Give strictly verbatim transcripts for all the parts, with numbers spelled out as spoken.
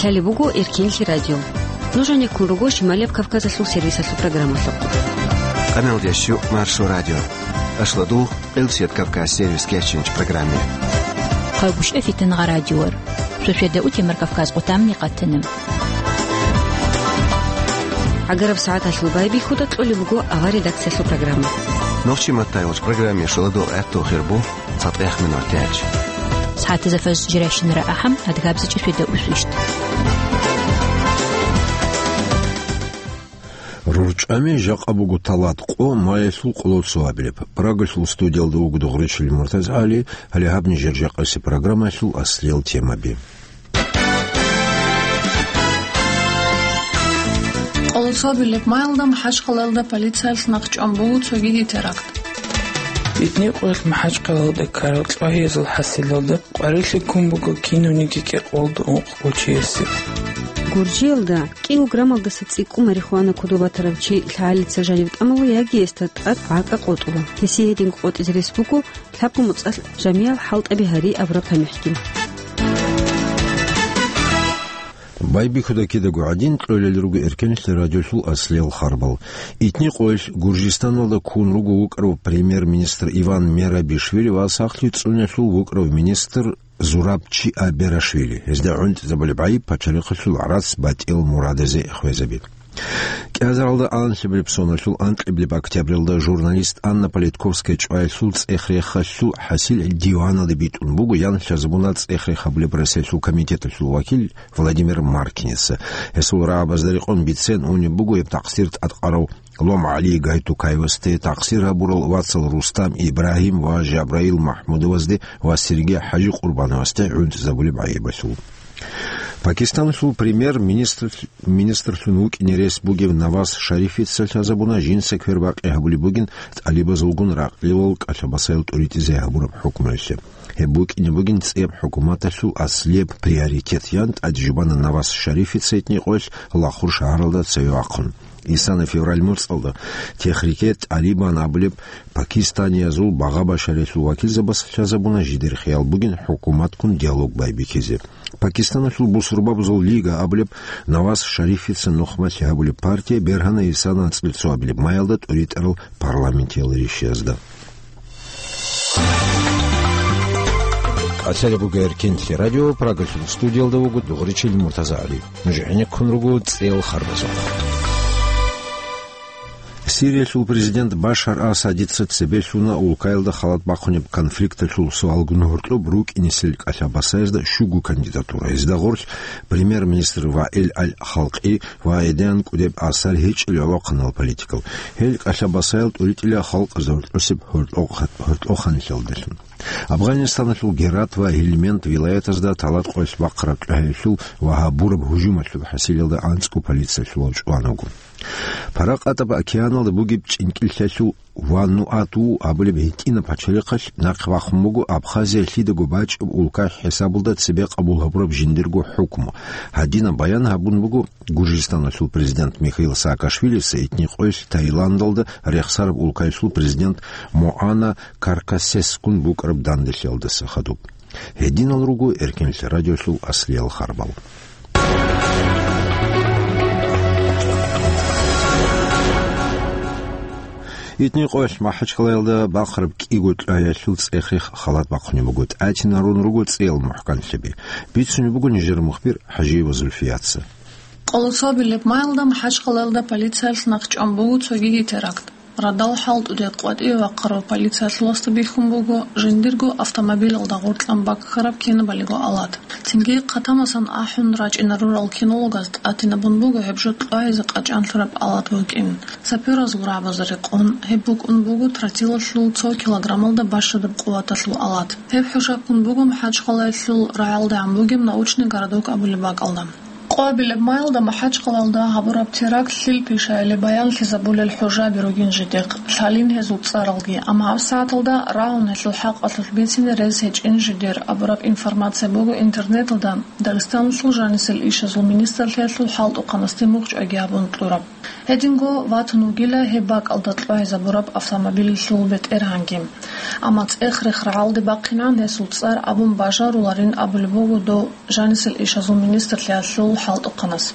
Лъалеб буго Эркенлъи радио. Нуж гьанеккун руго Шималияб Кавказалъул сервисалъул программалъухъ. Къаналдеш щу Маршо радио. Ашлодул, Къилсият Кавказ сервис кечинч программе. Хъагушев Фитангъа радиор. Суседа утемар Кавказ къутамни къатана. ГӀагараб сагӀаталъул байбихьуда кьолеб буго авар редакциялъул программа. Нохчи маттайгъуч программе шоладул гӀаттул хирбу цатӀех минут тяч. СагӀатазда фаз жиращинара ахӀам, адгабзичӀи суседа усвищт. РурчӀами жакъа буго талат къо маялъул къолоцо абилеб. Прагалъул студиялда вуго Дугъричил МуртазагӀали, гьале гьаб нижер жакъаси программалъул аслиял темаби. Къолоцо абилеб маялда МахӀачхъалаялда полициялъ нахъчӀван буго цогиги теракт. Итни къоялъ МахӀачхъалаялда ккарал кьвагьиязул хӀасилалда къварилъи ккун буго кинавниги кӀикъоялда ункъ гъочиясе. Гуржиялда кӀиго граммалдаса цӀикӀкӀун марихуана кодоб батарав чи лъагӀалица жанив тӀамула яги гьесда тӀад гӀакӀа къотӀула. Гьесие гьединго къотӀизе рес буго лъабго моцӀалъ жамиял хӀалтӀаби гьари абураб тамихӀги. Байбихьуда кидаго гӀадин, кьолел руго Эркенлъи радиолъул аслиял харбал. Итни къоялъ Гуржистаналда ккун руго вукӀарав премьер-министр Иван Мерабишвили ва сахлъи цӀуналъул вукӀарав министр Зураб Чиаберашвили. Гьезда гӀунтӀизабулеб гӀайиб пачалихъалъул гӀарац батӀиял мурадазе хвезаби. КӀиазаралда анлъабилеб соналъул анкьабилеб октябралда журналист Анна Политковская чӀваялъул цӀех-рехалъул хӀасил диваналде битӀун буго, ян лъазабуна цӀех-рех гьабулеб Россиялъул комитеталъул вакил Владимир Маркиница. Гьесул рагӀабазда рекъон бицен унеб буго гьеб такъсир тӀадкъарав Лом ГӀали Гайтукаевасде, такъсир гьабурал вацал Рустам Ибрагьим ва Жабраил МахӀмудовазде ва Сергей ХӀажи Къурбановасде гӀунтӀизабулеб гӀайибалъул. Пакистаналъул премьер-министр, министрлъун вукӀине рес бугев Наваз Шарифица лъазабуна жинца квербакъи гьабулеб бугин тӀалибазулгун ракълилал кӀалъабасаял тӀуритӀизе гьабураб хӀукмуялъе. Гьеб букӀине бугин цӀияб хӀукуматалъул аслияб приоритет, ян тӀадежбана Наваз Шарифица итни къоялъ Лахур шагьаралда цеве вахъун. Исана февраль моцӀалда Техрике ТӀалибан абулеб пакистаниязул багъа-башариялъул вакилзабаз лъазабуна жидер хиял бугин хӀукуматккун диалог байбихьизе. Пакистаналъул бусурбабазул лига абулеб Наваз Шарифица нухмалъи гьабулеб партия бергьана Исана анцӀбилеб цоабилеб маялда тӀуритӀарал парламентиял ришиязда. Къацалеб буго Эркенлъи радио, Прагалъул студиялда вуго Дугъричил МуртазагӀали. Нуж гӀенеккун руго цӀел харбазухъ. Сириялъул президент Башар Асадица цебе лъуна улкаялда халат бахъунеб конфликталъул суалгун гьоркьоб рукӀинесел кӀалъабасаязда щуго кандидатура. Гьезда гъорлъ премьер-министр Ваил Аль-Халкъи ва гьединан кӀудеб асар гьечӀел гӀолохъанал политикал. Гьел кӀалъабасаял тӀуритӀила халкъазда гьоркьосеб гьоркьохъанлъиялдалъун. Афганистаналъул Герат ва Гьельманд вилаятазда талат къоялъ бахъараб кьвагьиялъул ва гьабураб гьужумалъул хӀасилалда анцӀго полициялъулав чӀван вуго. Паракъатаб океаналда бугеб чӀинкӀиллъиялъул Вануату абулеб гьитӀинаб пачалихъалъ нахъе бахун буго Абхазия лъидаго бачӀеб улка хӀисабалда цебе къабул гьабураб жиндирго хӀукму. Гьадинаб баян гьабун буго Гуржистаналъул президент Михаил Саакашвилица итни къоялъ Таиландалда рехсараб улкаялъул президент Моана Каркасесгун букӀараб данделъиялдаса хадуб. Гьединал руго Эркенлъи радиолъул аслиял харбал. Итни къоялъ МахӀачхъалаялда бахъараб кӀиго кьвагьиялъул цӀех-рех халат бахъунеб буго, тӀатинарун руго цӀиял мухӀканлъиби. Бицунеб буго нижер мухбир ХӀажиева Зульфияца. Къолоцо абилеб маялда МахӀачхъалаялда полициялъ нахъчӀван буго цогиги теракт. Радал хӀалтӀуде къватӀиве вахъарав полициялъуласда бихьун буго жиндирго автомобилалда гъоркьан баккараб кинабалиго алат. Цинги хъатамасан ахӀун рачӀинарурал кинологаз тӀатинабун буго гьеб жо кьвагьизе къачӀанлъураб алат букӀин. Саперазул рагӀабазда рекъон, гьеб букӀун буго тротилалъул цо килограммалда бащадаб къуваталъул алат. Гьеб хӀушаб ккун буго МахӀачхъалаялъул рагӀалдегӀан бугеб Научный городок абулеб бакӀалда. Къоабилеб маялда МахӀачхъалаялда гьабураб теракт лъил пишаялъе баянлъизабулел хӀужаби ругин жидехъ, лъалин гьезул цӀаралги, амма гьабсагӀаталда рагьун гьелъул хӀакъалъулъ бицине рес гьечӀин жидер абураб информация буго интернеталда Дагъистаналъул жанисел ишазул министрлъиялъул хӀалтӀухъанасде мухь чӀваги гьабун кьураб. Гьединго ватун вугила гьеб бакӀалда кьвагьизабураб автомобилалъул бетӀергьанги. Амма цӀех-рех рагӀалде бахъинегӀан гьесул цӀар абун бажаруларин абулеб буго дов жанисел ишазул министрлъиялъул хӀалтӀухъанас.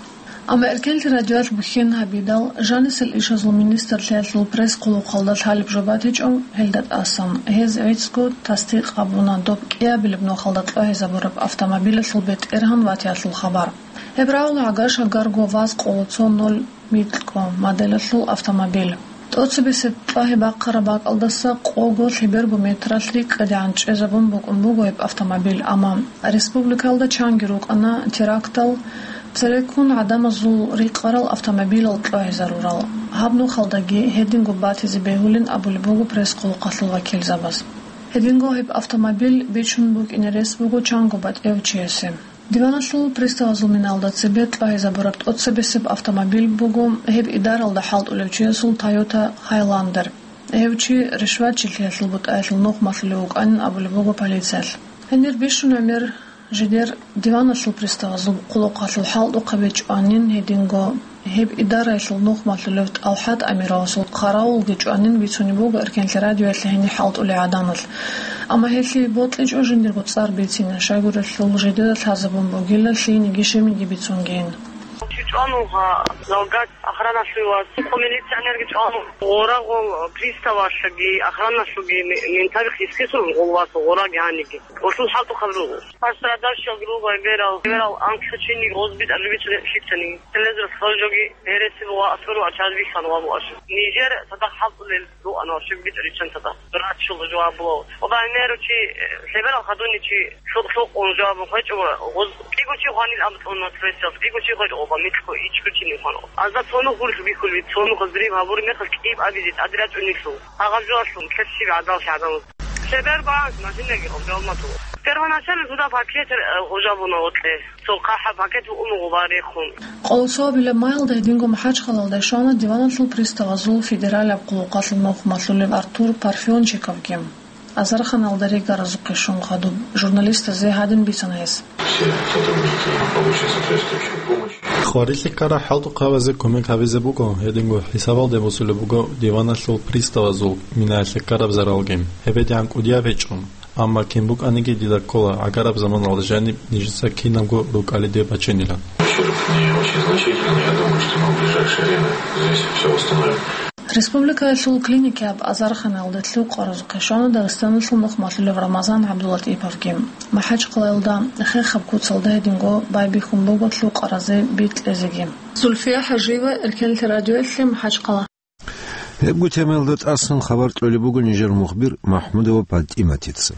Амма Эркенлъи радиоялъ бухьен гьабидал, жанисел ишазул министрлъиялъул пресс-хъулухъалда лъалеб жо батичӀо, гьелда тӀасан гьез гӀицӀго тасдикъ гьабуна доб кӀиабилеб нухалда кьвагьизабураб автомобилалъул бетӀергьан ватиялъул хабар. Гьеб рагӀула гӀагар-шагарго ваз къоло цо ноль микьго моделалъул автомобиль. ТӀоцебесеб кьвагьи бахъараб бакӀалдаса къого лъеберго метралъ рикӀкӀадегӀан чӀезабун букӀун буго гьеб автомобиль, амма республикаялда чанги рукӀана терактал цереккун гӀадамазул рикъарал автомобилал кьвагьизарурал. Гьаб нухалдаги гьединго батизе бегьулин абулеб буго пресс-хъулухъалъул вакилзабаз. Гьединго гьеб автомобиль бичун букӀине рес буго чанго батӀияв чиясе. Диваналъул приставазул миналда цебе кьвагьизабураб тӀоцебесеб автомобиль буго гьеб идаралда хӀалтӀулев чиясул Toyota Highlander. Гьев чи ришватчилъиялъул бутӀаялъул нух малъулев вукӀанин абулеб буго полициялъ. Гьенир бищун гӀемер жидер диваналъул приставазул хъулухъалъул хӀалтӀухъаби чӀванин гьединго гьеб идараялъул нух малъулев ТӀалхӀат Амировасул хъаравулги чӀванин бицунеб буго Эркенлъи радиоялъе гьенир хӀалтӀулей гӀадамал. Амма гьелъие бокьичӀо жиндирго цӀар бицине, щайгурелъул жидеда лъазабун бугила лъиениги щибниги бицунгейин. Чи чӀвануха, залгат охраналъуй вас, цо милиционерги чӀвануха, гъорагъул приставалъаги охраналъуги ме-, ментаби хисхисун гъолвас гъораги гьаниги. Гъолъул хӀалтӀухъаб руго. Пострадавший группа берал, берал анкьа чиниги гъоз битӀараб бицунеб лъицани. Телезор хъалжоги гьереси буго асфар ва чаз бихьан ва буго. Нижер цадахъ хӀалтӀулел руан ва щиб битӀаричан цадахъ. Рачул жаваб буго. Оба меру чи, э, лъеберал хадуни чи шукъ-шукъун жаваб хвечӀо ва гъоз кӀиго чи хванил аб цӀуна пресиялъ, кӀиго чи хвечӀо оба микьго ичӀго чи нихъван. Азда цону хурх бихьулви, цону хазрив гьабур мехалъ кӀиб абизе тӀаде рачӀунилъул. Гьагъаб жоялъул ккерщиб гӀадал лъагӀдал. Лъебер багьанс машинаги гъаб жаваб матула. Первоначально туда пакет, э, гъужабуна гъотлъе. Цо хъахӀаб пакет букӀун буго барихъун. Къолосо абилеб маялда гьединго МахӀачхъалалда щвана диваналъул приставазул федералияб хъулухъалъул нух малъулев Артур Парфенчиковги. Азарханалда ригаразухъе щун хадуб журналистазе гьадин бицана гьес. Все сотрудники получат соответствующую помощь. Хварилъи ккарал хӀалтӀухъабазе кумек гьабизе буго, гьединго хӀисабалде босулеб буго диваналъул приставазул минаялъе ккараб заралги. ГьебедегӀан кӀудияб гьечӀо. Амма кин букӀаниги дида ккола, гӀагараб заманалда жаниб нижеца кинабго рукӀалиде бачинилан. Ущерб не очень значительный, я думаю, что мы в ближайшее время здесь всё восстановим. Республикаялъул клиникияб азарханалда лъукъаразухъе щвана Дагъистаналъул нух малъулев Рамазан ГӀабдуллатӀиповги. МахӀачхъалаялда хехаб куцалда гьединго байбихьун буго лъукъаразе бикьизеги. Зульфия ХӀажиева, Эркенлъи радиоялъе, МахӀачхъала. Гьебго темаялда тӀасан хабар кьолеб буго нижер мухбир МахӀмудова ПатӀиматица.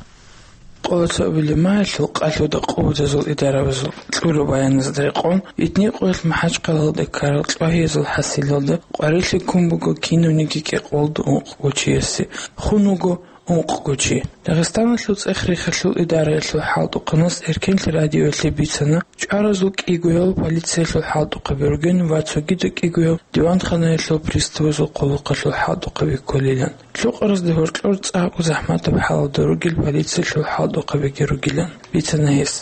Къоло цо абилеб маялъул къалъуда къуватазул идарабазул кьураб баяназда рекъон, итни къоялъ МахӀачхъалалда ккарал кьвагьиязул хӀасилалда къварилъи ккун буго кинавниги кӀикъоялда ункъго чиясе, хун вуго ункъго чи. Дагъистаналъул цӀех-рехалъул идараялъул хӀалтӀухъанас Эркенлъи радиоялъе бицана, чӀваразул кӀигояв полициялъул хӀалтӀухъаби ругин ва цогидал кӀигояв диванханаялъул приставазул хъулухъалъул хӀалтӀухъаби кколилан. Лъукъаразда гьоркьор цӀакъго захӀматаб хӀалалда ругел полициялъул хӀалтӀухъабиги ругилан бицана гьес.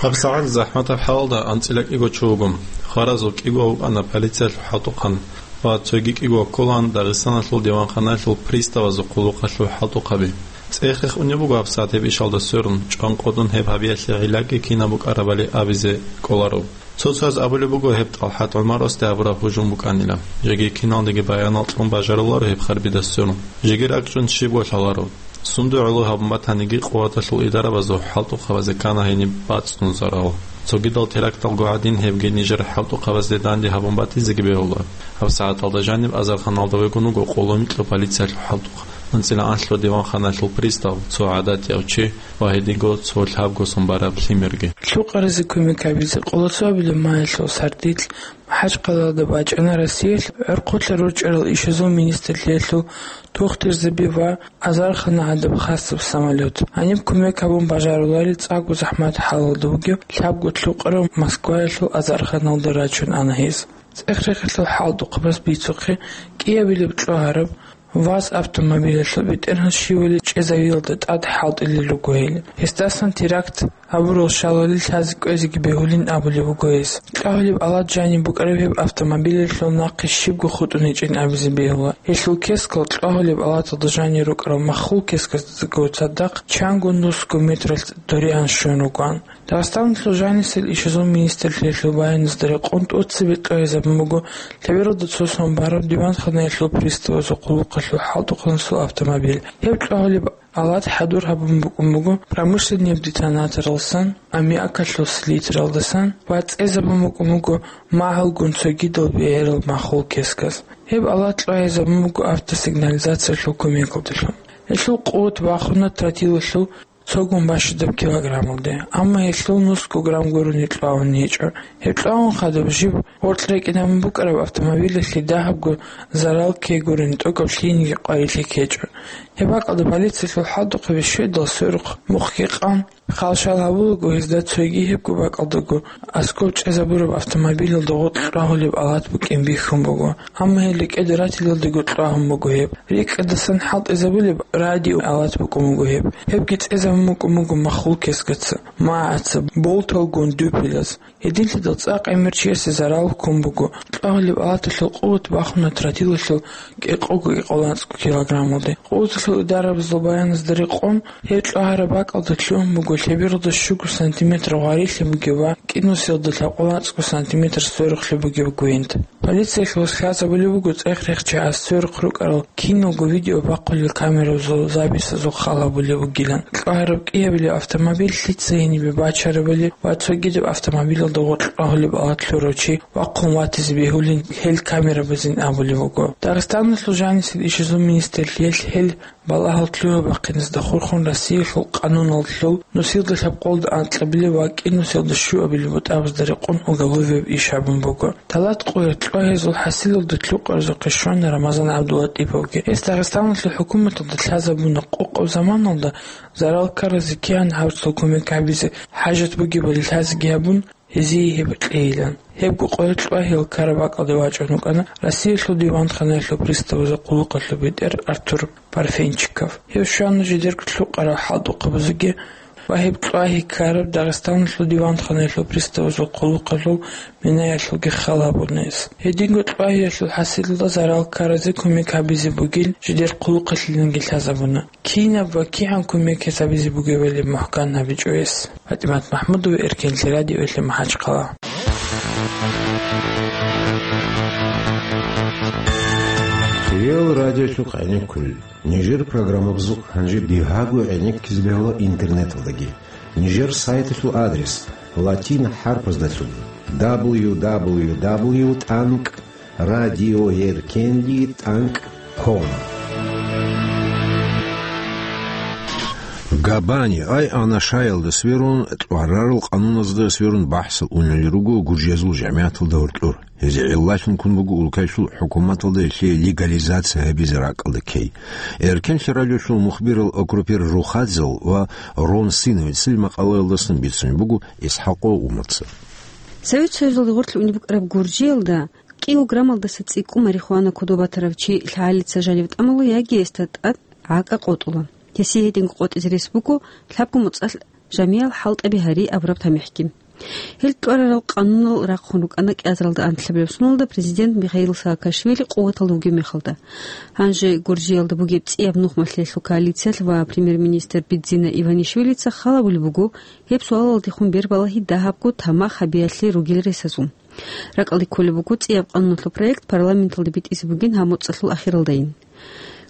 ГьабсагӀат захӀматаб хӀалалда анцӀила кӀиго чи вуго. Хваразул кӀиго вукӀана полициялъул хӀалтӀухъан ва цоги кӀиго кколаан Дагъистаналъул диванханаялъул приставазул хъулухъалъул хӀалтӀухъаби. ЦӀех-рех унеб буго гьабсагӀат гьеб ишалда сверун, чӀван къотӀун гьеб гьабиялъе гӀиллаги кинаб букӀарабали абизе кӀоларо. Цо-цояз абулеб буго гьеб ТӀалхӀат ГӀумаровасде гьабураб гьужум букӀанила. Жеги киналниги баянал кьун бажаруларо гьеб харбида сверун. Жеги ракӀчӀун щибго лъаларо. Сунда гӀоло гьабун батаниги, къуваталъул идарабазул хӀалтӀухъабазе ккана гьениб бацӀцӀун зарал. Цогидал теракталго гӀадин гьебги нижер хӀалтӀухъабазде данде гьабун батизеги бегьула. ГьабсагӀаталда жаниб азарханалда вегун вуго къоло микьго полициялъул хӀалтӀухъ, анцӀила анлъго диванханалъул пристав, цо гӀадатияв чи ва гьединго цо лъабго сон бараб лъимерги. Лъукъаразе кумек гьабизе къоло цо абилеб маялъул сардилъ МахӀачхъалалда бачӀана Россиялъ гӀорхъулъа рорчӀарал ишазул министрлъиялъул тухтурзаби ва азархана гӀадаб хасаб самолет. Гьаниб кумек гьабун бажаруларел цӀакъго захӀмат хӀалалда вугев лъабго лъукъарав Москваялъул азарханалда рачун ана гьез. ЦӀех-рехалъул хӀалтӀухъабаз бицухъе кӀиабилеб кьвагьараб ВАЗ автомобилалъул бетӀергьан щивали чӀезавиялда тӀад хӀалтӀилел руго гьел. Гьесдасан теракт гьабурал шалали лъазе кӀвезеги бегьулин абулеб буго гьес. Кьагьулеб алат жаниб букӀараб гьеб автомобилалъул нахъе щибго хутӀун гьечӀин абизе бегьула. Гьелъул кескал кьагьулеб алаталда жанир рукӀарал маххул кесказдаго цадахъ чанго нусго метралъ доригӀан щун ругоан. Дагъистаналъул жанисел ишазул министрлъиялъул баяназда рекъон тӀоцебе кьвагьизабун буго лъебералда цо сон бараб диванханаялъул приставазул хъулухъалъул хӀалтӀухъанасул автомобиль. Гьеб кьвагьулеб алат хӀадур гьабун букӀун буго промышленнияб детонаторалдасан, аммиакалъул селитралдасан ва цӀезабун букӀун буго магьалгун цогидал бегӀерал маххул кесказ. Гьеб алат кьвагьизабун буго автосигнализациялъул кумекалдалъун. Гьелъул къуват бахуна тротилалъул цогун бащадаб килограммалде, амма гьелъул нусго грамм гурони кьвагьун гьечӀо. Гьеб кьвагьун хадуб жиб гъоркь рекӀинабун букӀараб автомобилалъе дагьабго зарал ккей гурони тӀокӀаб лъиениги къварилъи ккечӀо. Гьеб бакӀалда полициялъул хӀалтӀухъаби щведал сверухъ мухъги къан, хал-шал гьабулаго гьезда цоги гьебго бакӀалдаго аскӀоб чӀезабураб автомобилалда гъоркь кьвагьулеб алат букӀин бихьун буго. Амма гьел рекӀеде ратилалдаго кьвагьун буго гьеб. РикӀкӀадасан хӀалтӀизабулеб радио алат букӀун буго гьеб. Гьебги цӀезабун букӀун буго маххул кескаца, магӀаца, болталгун дупелаз. Гьединлъидал цӀакъ гӀемер чиясе зарал ккун буго. Кьвагьулеб алаталъул къуват бахуна тротилалъул кӀикъого-кӀикъого анцӀго килограммалде. Къуваталъул идарабазул баяназда рекъон, гьеб кьвагьараб бакӀалда лъугьун буго лъебералда щуго сантиметр гъварилъи бугеб ва кӀинусиялда лъабкъоялда анцӀго сантиметр сверухълъи бугеб гвинт. Полициялъ васхӀизабулеб буго цӀех-рехчагӀаз сверухъ рукӀарал киналго видео бахъулел камерабазул записазул хал гьабулеб бугилан. КьвагӀараб кӀиабилеб автомобиль лъица гьенибе бачарабали ва цогидаб автомобилалда гъоркь кьвагьулеб алат лъурав чи вахъун ватизе бегьулин гьел камерабазин абулеб буго. Дагъистаналъул жанисел ишазул министрлъиялъ гьел балагьал лъугьа-бахъиназда хурхун Россиялъул къануналъул нусилда лъабкъолда анкьабилеб ва кӀинусиялда щуабилеб бутӀабазда рекъон уголовияб иш гьабун буго. Талат къоялъ кьвагьизул хӀасилалда лъукъарзухъе щвана Рамазан ГӀабдуллатӀиповги. Гьес Дагъистаналъул хӀукуматалда лъазабуна къокъаб заманалда зарал ккаразе кигӀан гьабцал кумек гьабизе хӀажат бугебали лъазеги гьабун, гьезие гьеб кьейилан. Гьебго къоялъ кьвагьиял ккараб бакӀалде вачӀун вукӀана Россиялъул диванханаялъул приставазул хъулухъалъул бетӀер Артур Парфенчиков. Гьев щвана жидерго лъукъарал хӀалтӀухъабазеги ва гьеб кьвагьи ккараб Дагъистаналъул диванханаялъул приставазул хъулухъалъул минаялъулги хал гьабуна гьес. Гьединго кьвагьиялъул хӀасилалда зарал ккаразе кумек гьабизе бугин жидер хъулухъалъиланги лъазабуна. Кинаб ва кигӀан кумек гьабизе бугебали мухӀкан гьабичӀо гьес. ПатӀимат МахӀмудова, Эркенлъи радиоялъе, МахӀачхъала. Хириял радиолъухъ гӀенеккулел. Нижер программабазухъ гьанже бигьаго гӀенеккизе бегьула интернеталдаги. Нижер сайталъул адрес латин хӀарпаздалъун: дабл ю дабл ю дабл ю тӀанкӀ радиоэркенли тӀанкӀ ком. Габани, ай, Анашаялда сверун, тӀварарал къануназда сверун бахӀсал унел руго гуржиязул жамигӀаталда гьоркьор. Гьезие гӀиллалъун ккун буго улкаялъул хӀукуматалда гьелъие легализация гьабизе ракӀалда ккей. Эркенлъи радиолъул мухбирал Окрупир Рухадзел ва Рон Синовецил макъалаялдасан бицунеб буго ИсхӀакъов Умарца. Совет Союзалде гъорлъ унеб букӀараб Гуржиялда килограммалдаса цӀикӀкӀун марихуана кодоб батарав чи лъагӀалица жанив тӀамула яги гьесда тӀад гӀакӀа къотӀула. Гьесие гьединго къотӀизе рес буго лъабго моцӀалъ жамиял хӀалтӀаби гьари абураб тамихӀги. Гьел тӀварарал къанунал рахъун рукӀана кӀиазаралда анлъабилеб соналда президент Михаил Саакашвили къуваталда вугеб мехалда. Гьанже Гуржиялда бугеб цӀияб нухмалъиялъул коалициялъ ва премьер-министр Бидзина Иванишвилица хал гьабулеб буго гьеб суалалдехун бербалагьи дагьабго тамах гьабиялъе ругел ресазул. РакӀалде кколеб буго цӀияб къануналъул проект парламенталде битӀизе бугин гьаб моцӀалъул ахиралдайин.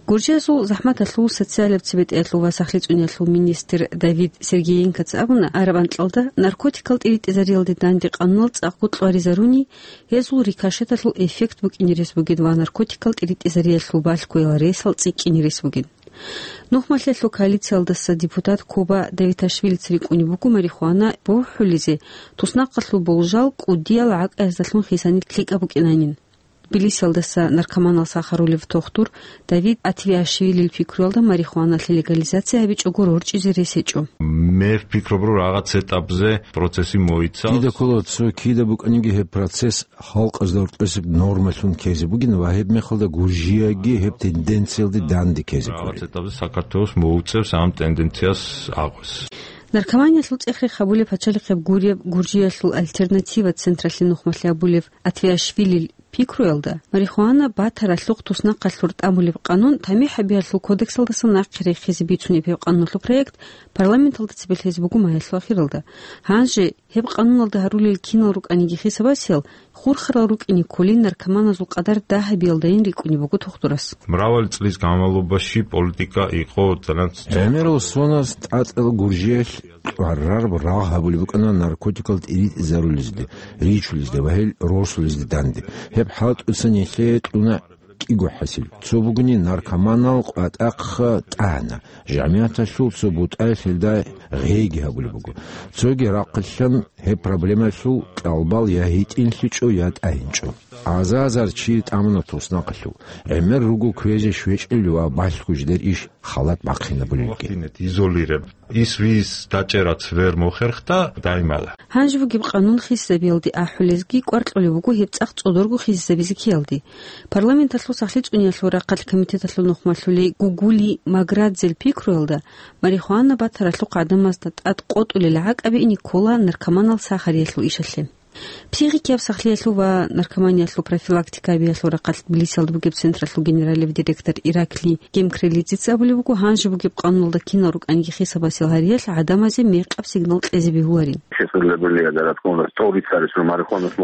Гуржиязул захӀматалъул, социалаб цебетӀеялъул ва сахлъи цӀуниялъул министр Давид Сергеенкоца абуна, араб анкьалда наркотикал тӀиритӀизариялде данде къануналъ цӀакъго кьваризаруни, гьезул рикошеталъул эффект букӀине рес бугин ва наркотикал тӀиритӀизариялъул балъгоял ресал цӀикӀкӀине рес бугин. Нухмалъиялъул коалициялдаса депутат Коба Давиташвилица рикӀкӀунеб буго марихуана бухӀулизе туснахъалъул болжал кӀудиял гӀакӀаяздалъун хисани лъикӀаб букӀинанин. Тбилисиялдаса наркоманал сахарулев тухтур Давид Атвиашвилил пикруялда марихуаналъе легализация гьабичӀого рорчӀизе рес гьечӀо. Мер пикру буго рагъац этапзе процесси мойицал. Дида ккола цо кида букӀаниги гьеб процесс халкъазда гьоркьосеб нормалъун ккезе бугин ва гьеб мехалда Гуржияги гьеб тенденциялде данде ккезе гури. Рагъац этапзе сакартоялъ мугӀцӀев сам тенденцияс агъус. Наркоманиялъул цӀех-рех гьабулеб пачалихъеб гуреб Гуржиялъул «Альтернатива» централъе нухмалъи гьабулев Атвиашвилил пикруялда, марихуана батаралъухъ туснахъалъур тӀамулеб къанун тамихӀ гьабиялъул кодексалдаса нахъе рехизе бицунеб гьеб къануналъул проект парламенталда цебе лъезе буго майялъул ахиралда. Гьанже гьеб къануналда гьарулел кинал рукӀаниги хисабасел, хурхарал рукӀине кколин наркоманазул къадар дагьабиялдайин рикӀкӀунеб буго тухтурас. Мравал цӀлиз гӀамалубаши политика ихъо цӀанацӀ. ГӀемерал соназ тӀатӀал Гуржиялъ тӀварараб рагъ гьабулеб букӀана наркотикал тӀиритӀизарулезде, ричулезде ва гьел росулезде данде. Гьеб хӀалтӀусан нилъее кьуна кӀиго хӀасил. Цо бугони наркоманал къватӀахъ тӀагӀана. ЖамигӀаталъул цо бутӀаялъ гьелда гъейги гьабулеб буго. Цоги рахъалъан гьеб проблемаялъул кьалбал я гьитӀинлъичӀо, я тӀагьинчӀо. Азар-азар чи тӀамуна туснахъалъув. ГӀемер руго кквезе щвечӀел ва балъго жидер иш халат бахъинабулелги. Изолиреб. Ис вис дачӀерац вер мухерхда даймала. Гьанже бугеб къанун хисизабиялде ахӀулезги кӀвар кьолеб буго гьеб цӀакъ цӀодорго хисизабизе ккеялде. Парламенталъул сахлъи цӀуниялъул рахъалъ комитеталъул нухмалъулей Гугули Маградзел пикруялда, марихуана батаралъухъ гӀадамазда тӀад къотӀулел гӀакӀаби ине ккола наркоманал сахариялъул ишалъе. Психикияб сахлъиялъул ва наркоманиялъул профилактика гьабиялъул рахъалъ Тбилисиялда бугеб централъул генералияб директор Ираклий Гемкрелидзеца абулеб буго, гьанже бугеб къануналда кинал рукӀаниги хисабасел гьариялъ гӀадамазе мекъаб сигнал кьезе бегьуларин.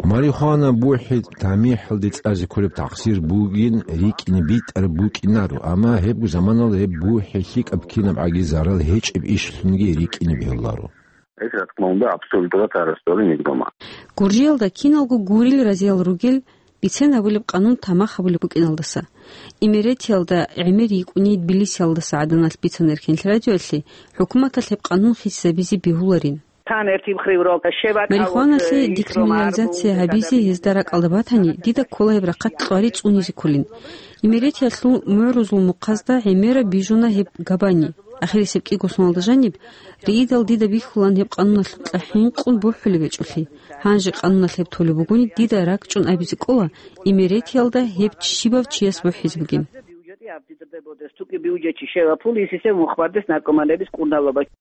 Марихуана бухӀи тамихӀалде цӀазе кколеб тахсир бугин рикӀкӀине битӀараб букӀинаро, амма гьебго заманалда гьеб бухӀи лъикӀаб кинабгӀаги зарал гьечӀеб ишлъунги рикӀкӀине бегьуларо. Гьес ратмалда абсолютно тарасдоли нигдома. Гуржиялда киналго гурил разиял ругел бицен гьабулеб къанун тамах гьабулеб букӀиналдаса. Имеретиялда гӀемер йикӀуни Тбилисиялдаса гӀаданалъ бицана Эркенлъи радиоялъе, хӀукуматалъ гьеб къанун хисизабизе бегьуларин. Марихуаналъе декриминализация гьабизе гьезда ракӀалда батани, дида ккола гьеб рахъалъ кьвари цӀунизе кколин. Имеретиялъул мугӀрузул мухъазда гӀемераб бижуна гьеб габани. Ахирисеб кӀиго соналда жаниб, риидал дида бихьулан гьеб къануналъукьа хӀинкъун бухӀулеб гьечӀолъи. Гьанже къануналъ гьеб толеб бугони, дида ракӀчӀун абизе ккола, имеретиялда гьеб щибав чияс бухӀизе бугин.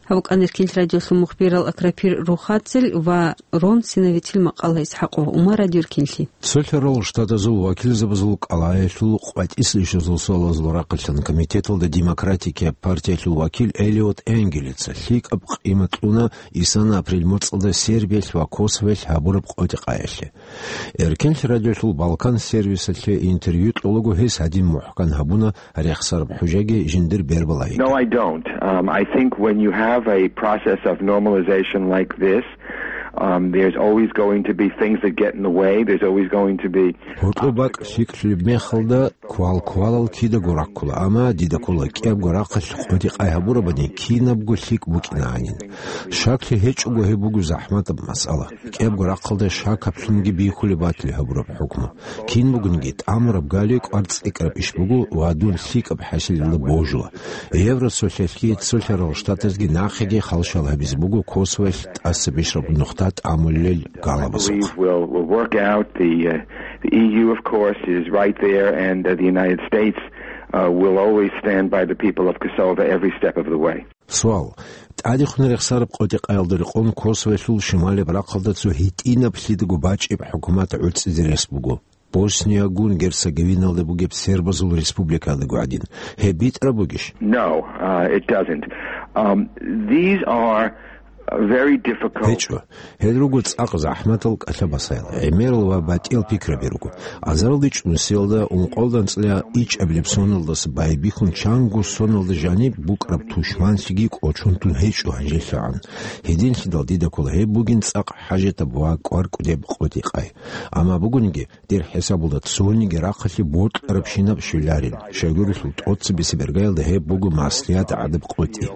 Гьаб букӀана Эркенлъи радиолъул мухбирал Акрапир Рухатзел ва Рон Синовицил макъала. ИсхӀакъов Умар, Радио Эркенлъи. Цолъарал Штатазул вакилзабазул кӀалгӀаялъул къватӀиса ишазул суалазул рахъалъан комитеталда Демократикияб партиялъул вакил Элиот Энгелица лъикӀаб къимат кьуна исана апрель моцӀалда Сербиялъ ва Косовоялъ гьабураб къотӀи-къаялъе. Эркенлъи радиолъул Балкан сервисалъе интервью кьолаго гьес гьадин мухӀкан гьабуна рехсараб хӀужаги жиндир бербалагьи. No, I don't. Um, I think when you have a process of normalization like this, um, there's always going to be things that get in the way. There's always going to be гьоркьоб бакӀ лъикӀлъулеб мехалда квал-квалал кидаго раккула, амма дида ккола кӀиябго рахъалъ къотӀи-къай гьабурабани кинабго лъикӀ букӀинагӀанин. Шаклъи гьечӀого гьеб буго захӀматаб масъала. КӀиябго рахъалда шакаблъунги бихьулеб батили гьабураб хӀукму. Кин бугониги, тӀамураб гали кӀвар цӀикӀкӀараб иш буго ва дун лъикӀаб хӀасилалда божула. Евросоюзалъги Цолъарал Штатазги нахъеги халщал гьабизе буго Косовоялъ тӀаса бищараб нухда тӀамулел галабазухъ. Believe will, will work out. The, uh, the E U, of course, is right there, and, uh, the United States, uh, will always stand by the people of Kosovo every step of the way. Суал. ТӀадехун рехсараб къотӀи-къаялда рекъон Косовоялъул шималияб рахъалда цо гьитӀинаб лъидаго бачӀеб хӀукумат гӀуцӀизе рес буго. Босниягун Герцеговиналда бугеб сербазул республикаялдаго гӀадин. Гьеб битӀараб бугищ? No, uh, it doesn't. Um, these are very difficult. ГьечӀо. Гьел руго цӀакъ захӀматал кӀалъа-басаял, гӀемерал ва батӀиял пикраби руго. Азаралде чӀунсиялда, ункъоялда анцӀила ичӀабилеб соналдаса байбихьун чанго соналда жаниб букӀараб тушманлъиги кӀочон тун гьечӀо гьанжелъагӀан. Гьединлъидал дида ккола гьеб бугин цӀакъ хӀажатаб ва кӀвар кӀудеб къотӀи-къай. Амма бугониги, дир хӀисабалда цониги рахъалъе бокьарабщинаб щвеларин, щайгурелъул тӀоцебесеб иргаялда гьеб буго маслигӀат гӀадаб къотӀи.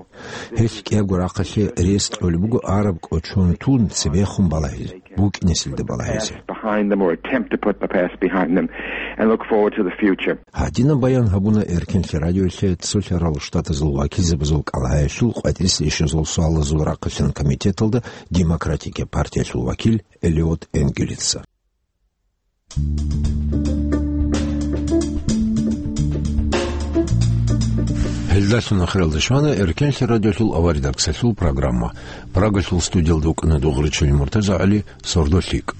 Гьелъ кӀиябго рахъалъе рес кьолеб буго араб кӀочон тун цебехун балагьизе, букӀинесилда балагьизе. Behind them or attempt to put the past behind them and look forward to the future. Гьадинаб баян гьабуна Эркенлъи радиолъе Цолъарал Штатазул вакилзабазул кӀалгӀаялъул къватӀиса ишазул суалазул рахъалъан комитеталда Демократикияб партиялъул вакил Элиот Энгелица. Гьел Далъун ахиралда щвана Эркенлъи радиолъул аваридаксалъул программа. Прагалъул студиялда вукӀана Дугъричули МуртазагӀали, сордо лъикӀ.